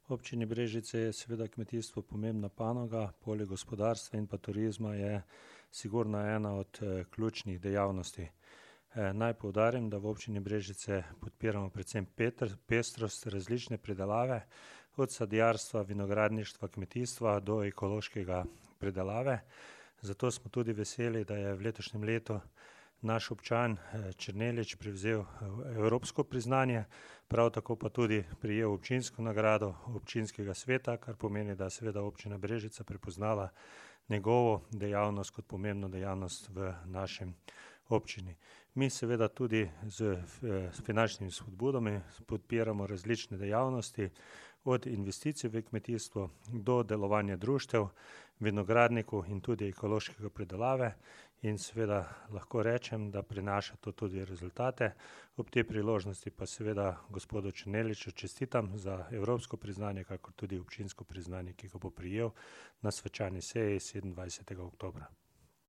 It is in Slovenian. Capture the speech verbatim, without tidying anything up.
Občini Brežice je seveda kmetijstvo pomembna panoga, poleg gospodarstva in pa turizma je sigurno ena od eh, ključnih dejavnosti. Eh, naj poudarim, da v občini Brežice podpiramo predvsem petr, pestrost različne pridelave, od sadjarstva, vinogradništva, kmetijstva do ekološkega pridelave. Zato smo tudi veseli, da je v letošnjem letu naš občan Černelič prevzel evropsko priznanje, prav tako pa tudi prejel občinsko nagrado občinskega sveta, kar pomeni, da je seveda občina Brežice prepoznala njegovo dejavnost kot pomembno dejavnost v našem občini. Mi seveda tudi z finančnimi spodbudami podpiramo različne dejavnosti, od investicij v kmetijstvo do delovanja društev, vinogradnikov in tudi ekološkega pridelave in seveda lahko rečem, da prinaša to tudi rezultate. Ob tej priložnosti pa seveda gospodu Černeliču čestitam za evropsko priznanje, kakor tudi občinsko priznanje, ki ga bo prejel na svečani seji sedemindvajsetega oktobra.